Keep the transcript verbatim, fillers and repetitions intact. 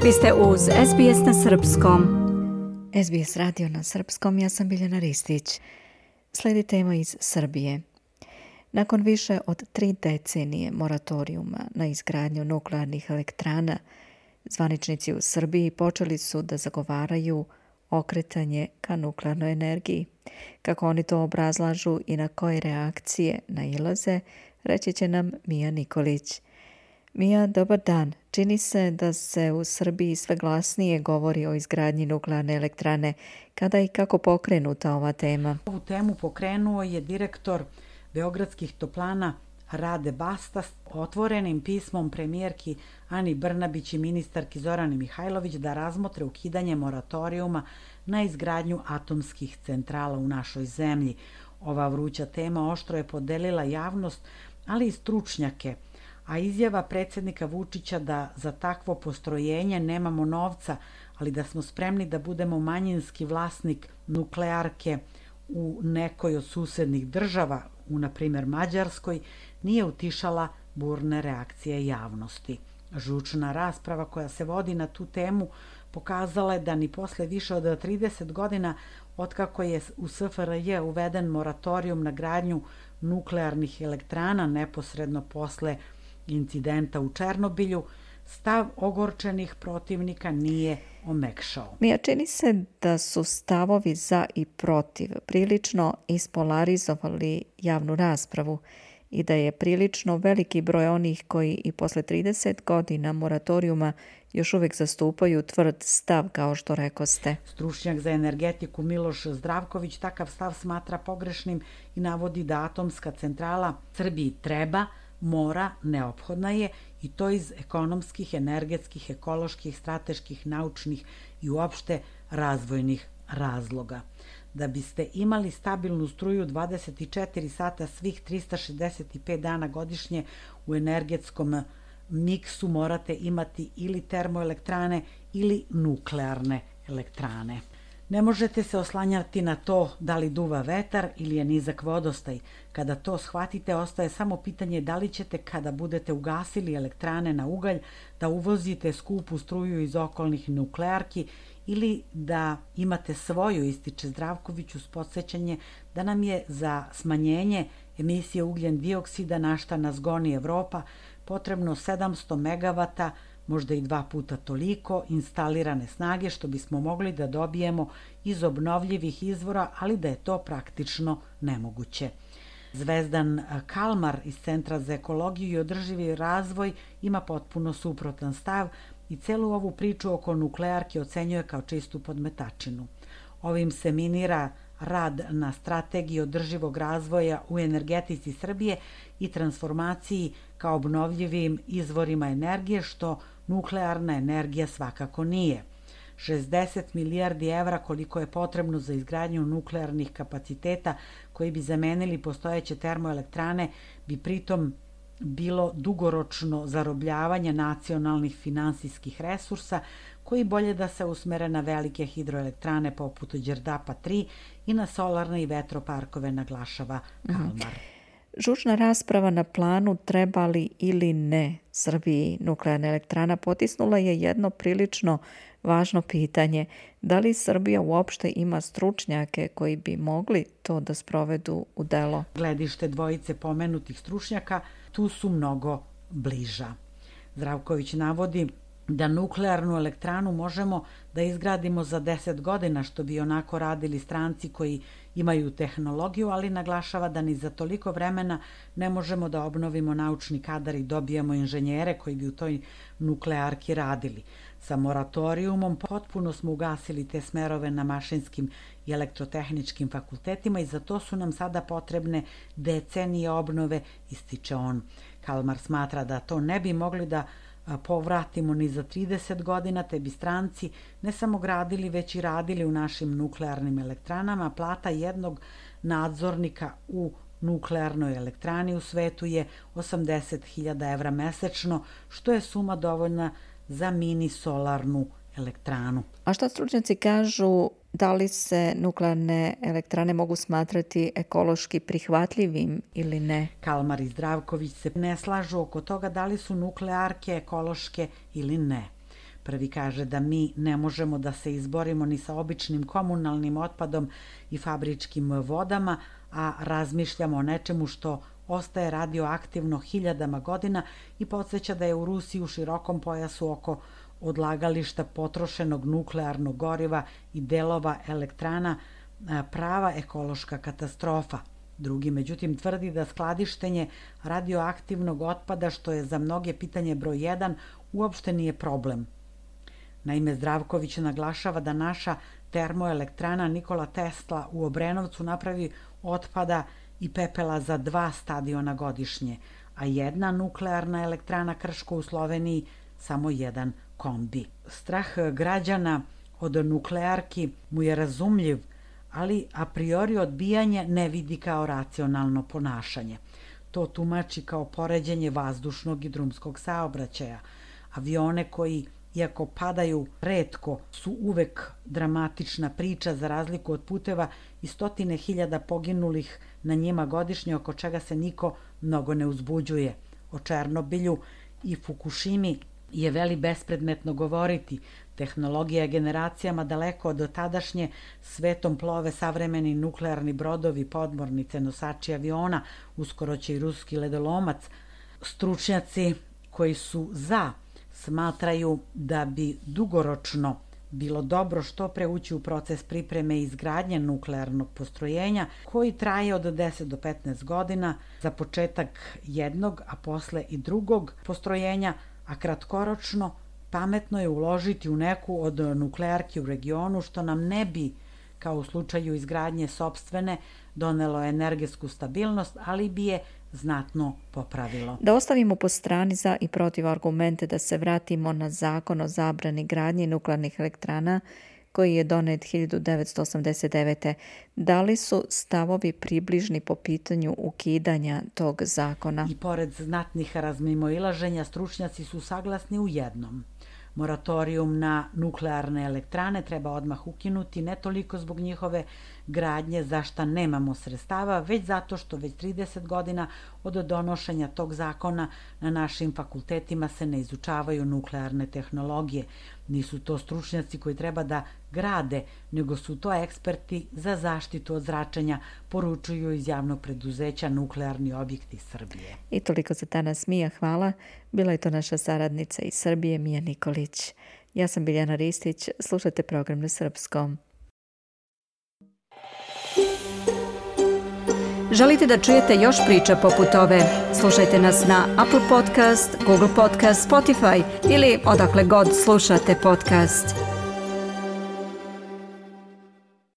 Vi ste uz S B S na srpskom. S B S radio na srpskom, ja sam Biljana Ristić. Slijedi tema iz Srbije. Nakon više od tri decenije moratorijuma na izgradnju nuklearnih elektrana, zvaničnici u Srbiji počeli su da zagovaraju okretanje ka nuklearnoj energiji. Kako oni to obrazlažu i na koje reakcije nailaze, reći će nam Mija Nikolić. Mija, dobar dan. Čini se da se u Srbiji sve glasnije govori o izgradnji nuklearne elektrane. Kada i kako pokrenuta ova tema? Ovu temu pokrenuo je direktor Beogradskih toplana Rade Bastas otvorenim pismom premijerki Ani Brnabić i ministarki Zorani Mihajlović da razmotre ukidanje moratorijuma na izgradnju atomskih centrala u našoj zemlji. Ova vruća tema oštro je podelila javnost, ali i stručnjake, a izjava predsjednika Vučića da za takvo postrojenje nemamo novca, ali da smo spremni da budemo manjinski vlasnik nuklearke u nekoj od susednih država, u na primjer Mađarskoj, nije utišala burne reakcije javnosti. Žučna rasprava koja se vodi na tu temu pokazala je da ni posle više od trideset godina otkako je u S F R J uveden moratorijum na gradnju nuklearnih elektrana neposredno posle incidenta u Černobilju, stav ogorčenih protivnika nije omekšao. Mija, čini se da su stavovi za i protiv prilično ispolarizovali javnu raspravu i da je prilično veliki broj onih koji i posle trideset godina moratorijuma još uvijek zastupaju tvrd stav, kao što rekoste. Stručnjak za energetiku Miloš Zdravković takav stav smatra pogrešnim i navodi da atomska centrala Srbiji treba, mora, neophodna je, i to iz ekonomskih, energetskih, ekoloških, strateških, naučnih i uopšte razvojnih razloga. Da biste imali stabilnu struju dvadeset četiri sata svih trista šezdeset pet dana godišnje u energetskom miksu morate imati ili termoelektrane ili nuklearne elektrane. Ne možete se oslanjati na to da li duva vetar ili je nizak vodostaj. Kada to shvatite, ostaje samo pitanje da li ćete, kada budete ugasili elektrane na ugalj, da uvozite skupu struju iz okolnih nuklearki ili da imate svoju, ističe Zdravković uz podsjećanje da nam je za smanjenje emisije ugljen dioksida, na šta nas goni Evropa, potrebno sedamsto megavata, možda i dva puta toliko instalirane snage, što bismo mogli da dobijemo iz obnovljivih izvora, ali da je to praktično nemoguće. Zvezdan Kalmar iz Centra za ekologiju i održivi razvoj ima potpuno suprotan stav i celu ovu priču oko nuklearke ocenjuje kao čistu podmetačinu. Ovim se minira rad na strategiji održivog razvoja u energetici Srbije i transformaciji kao obnovljivim izvorima energije, što nuklearna energija svakako nije. šezdeset milijardi evra koliko je potrebno za izgradnju nuklearnih kapaciteta koji bi zamenili postojeće termoelektrane bi pritom bilo dugoročno zarobljavanje nacionalnih finansijskih resursa koji bolje da se usmere na velike hidroelektrane poput Đerdapa tri i na solarne i vetroparkove, naglašava Kalmar. Žučna rasprava na planu treba li ili ne Srbiji nuklearna elektrana potisnula je jedno prilično važno pitanje. Da li Srbija uopšte ima stručnjake koji bi mogli to da sprovedu u delo? Gledište dvojice pomenutih stručnjaka tu su mnogo bliža. Zdravković navodi da nuklearnu elektranu možemo da izgradimo za deset godina, što bi onako radili stranci koji imaju tehnologiju, ali naglašava da ni za toliko vremena ne možemo da obnovimo naučni kadar i dobijemo inženjere koji bi u toj nuklearki radili. Sa moratorijumom potpuno smo ugasili te smerove na mašinskim i elektrotehničkim fakultetima i za to su nam sada potrebne decenije obnove, ističe on. Kalmar smatra da to ne bi mogli da povratimo ni za trideset godina, te bi stranci ne samo gradili, već i radili u našim nuklearnim elektranama. Plata jednog nadzornika u nuklearnoj elektrani u svetu je osamdeset hiljada evra mesečno, što je suma dovoljna za mini solarnu elektranu. A šta stručnjaci kažu, da li se nuklearne elektrane mogu smatrati ekološki prihvatljivim ili ne? Kalmar i Zdravković se ne slažu oko toga da li su nuklearke ekološke ili ne. Prvi kaže da mi ne možemo da se izborimo ni sa običnim komunalnim otpadom i fabričkim vodama, a razmišljamo o nečemu što ostaje radioaktivno hiljadama godina i podsjeća da je u Rusiji u širokom pojasu oko odlagališta potrošenog nuklearnog goriva i delova elektrana prava ekološka katastrofa. Drugi, međutim, tvrdi da skladištenje radioaktivnog otpada, što je za mnoge pitanje broj jedan, uopšte nije problem. Naime, Zdravković naglašava da naša termoelektrana Nikola Tesla u Obrenovcu napravi otpada i pepela za dva stadiona godišnje, a jedna nuklearna elektrana Krško u Sloveniji samo jedan kombi. Strah građana od nuklearki mu je razumljiv, ali a priori odbijanje ne vidi kao racionalno ponašanje. To tumači kao poređenje vazdušnog i drumskog saobraćaja. Avione koji, iako padaju retko, su uvek dramatična priča za razliku od puteva i stotine hiljada poginulih na njima godišnje, oko čega se niko mnogo ne uzbuđuje. O Černobilju i Fukušimi je veli bespredmetno govoriti. Tehnologija je generacijama daleko od tadašnje, svetom plove savremeni nuklearni brodovi, podmornice, nosači aviona, uskoro će i ruski ledolomac. Stručnjaci koji su za smatraju da bi dugoročno bilo dobro što pre ući u proces pripreme i izgradnje nuklearnog postrojenja koji traje od deset do petnaest godina za početak jednog, a posle i drugog postrojenja, a kratkoročno pametno je uložiti u neku od nuklearki u regionu, što nam ne bi, kao u slučaju izgradnje sopstvene, donelo energetsku stabilnost, ali bi je znatno popravilo. Da ostavimo po strani za i protiv argumente da se vratimo na zakon o zabrani gradnje nuklearnih elektrana koji je donet hiljadu devetsto osamdeset devete. Da li su stavovi približni po pitanju ukidanja tog zakona? I pored znatnih razmimoilaženja, stručnjaci su saglasni u jednom. Moratorijum na nuklearne elektrane treba odmah ukinuti, ne toliko zbog njihove gradnje za šta nemamo sredstava, već zato što već trideset godina od donošenja tog zakona na našim fakultetima se ne izučavaju nuklearne tehnologije. Nisu to stručnjaci koji treba da grade, nego su to eksperti za zaštitu od zračenja, poručuju iz javnog preduzeća Nuklearni objekti Srbije. I toliko za danas, Mija, hvala. Bila je to naša saradnica iz Srbije, Mija Nikolić. Ja sam Biljana Ristić, slušajte program na srpskom. Želite da čujete još priča poput ove? Slušajte nas na Apple Podcast, Google Podcast, Spotify ili odakle god slušate podcast.